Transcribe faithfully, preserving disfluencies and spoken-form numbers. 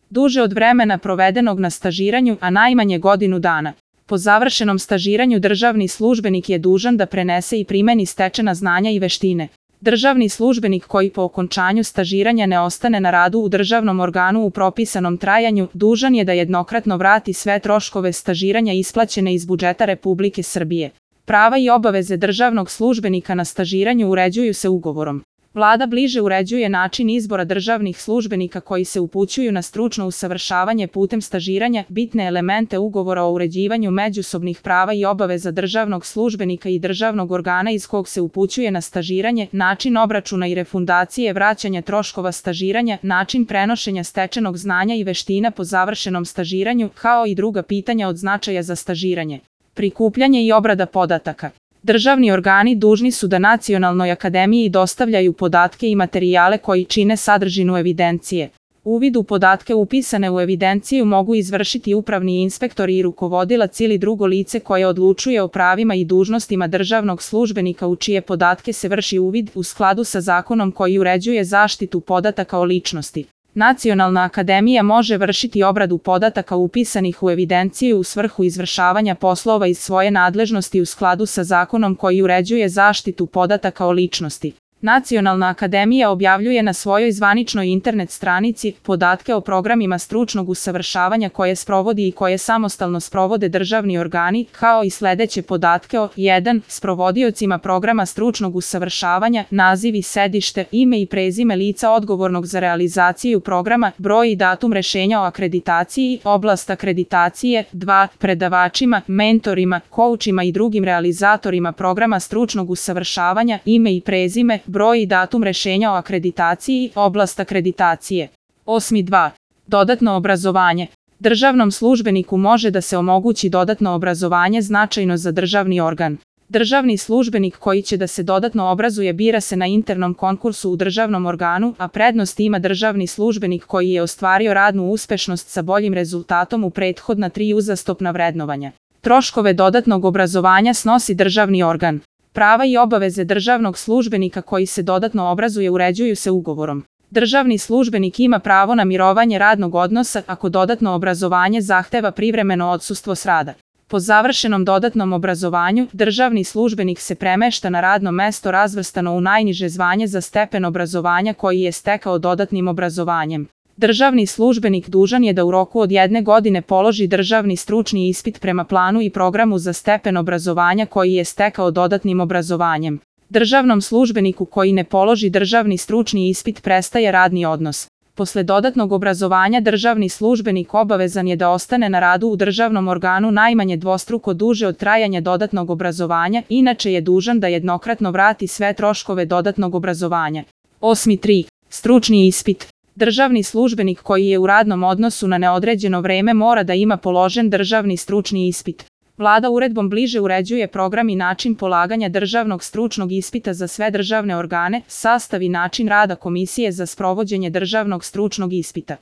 duže od vremena provedenog na stažiranju, a najmanje godinu dana. Po završenom stažiranju državni službenik je dužan da prenese i primeni stečena znanja i veštine. Državni službenik koji po okončanju stažiranja ne ostane na radu u državnom organu u propisanom trajanju, dužan je da jednokratno vrati sve troškove stažiranja isplaćene iz budžeta Republike Srbije. Prava i obaveze državnog službenika na stažiranju uređuju se ugovorom. Vlada bliže uređuje način izbora državnih službenika koji se upućuju na stručno usavršavanje putem stažiranja, bitne elemente ugovora o uređivanju međusobnih prava i obaveza državnog službenika i državnog organa iz kog se upućuje na stažiranje, način obračuna i refundacije vraćanja troškova stažiranja, način prenošenja stečenog znanja i veština po završenom stažiranju, kao i druga pitanja od značaja za stažiranje. Prikupljanje i obrada podataka. Državni organi dužni su da Nacionalnoj akademiji dostavljaju podatke i materijale koji čine sadržinu evidencije. Uvid u podatke upisane u evidenciju mogu izvršiti upravni inspektor i rukovodilac ili drugo lice koje odlučuje o pravima i dužnostima državnog službenika u čije podatke se vrši uvid u skladu sa zakonom koji uređuje zaštitu podataka o ličnosti. Nacionalna akademija može vršiti obradu podataka upisanih u evidenciju u svrhu izvršavanja poslova iz svoje nadležnosti u skladu sa zakonom koji uređuje zaštitu podataka o ličnosti. Nacionalna akademija objavljuje na svojoj zvaničnoj internet stranici podatke o programima stručnog usavršavanja koje sprovodi i koje samostalno sprovode državni organi, kao i sledeće podatke o jedan Sprovodiocima programa stručnog usavršavanja, naziv i sedište, ime i prezime lica odgovornog za realizaciju programa, broj i datum rešenja o akreditaciji, oblast akreditacije, dva Predavačima, mentorima, koučima i drugim realizatorima programa stručnog usavršavanja, ime i prezime, broj i datum rešenja o akreditaciji, oblast akreditacije. osam dva Dodatno obrazovanje. Državnom službeniku može da se omogući dodatno obrazovanje značajno za državni organ. Državni službenik koji će da se dodatno obrazuje bira se na internom konkursu u državnom organu, a prednost ima državni službenik koji je ostvario radnu uspešnost sa boljim rezultatom u prethodna tri uzastopna vrednovanja. Troškove dodatnog obrazovanja snosi državni organ. Prava i obaveze državnog službenika koji se dodatno obrazuje uređuju se ugovorom. Državni službenik ima pravo na mirovanje radnog odnosa ako dodatno obrazovanje zahteva privremeno odsustvo s rada. Po završenom dodatnom obrazovanju, državni službenik se premešta na radno mesto razvrstano u najniže zvanje za stepen obrazovanja koji je stekao dodatnim obrazovanjem. Državni službenik dužan je da u roku od jedne godine položi državni stručni ispit prema planu i programu za stepen obrazovanja koji je stekao dodatnim obrazovanjem. Državnom službeniku koji ne položi državni stručni ispit prestaje radni odnos. Posle dodatnog obrazovanja državni službenik obavezan je da ostane na radu u državnom organu najmanje dvostruko duže od trajanja dodatnog obrazovanja, inače je dužan da jednokratno vrati sve troškove dodatnog obrazovanja. osam tri Stručni ispit. Državni službenik koji je u radnom odnosu na neodređeno vreme mora da ima položen državni stručni ispit. Vlada uredbom bliže uređuje program i način polaganja državnog stručnog ispita za sve državne organe, sastav i način rada komisije za sprovođenje državnog stručnog ispita.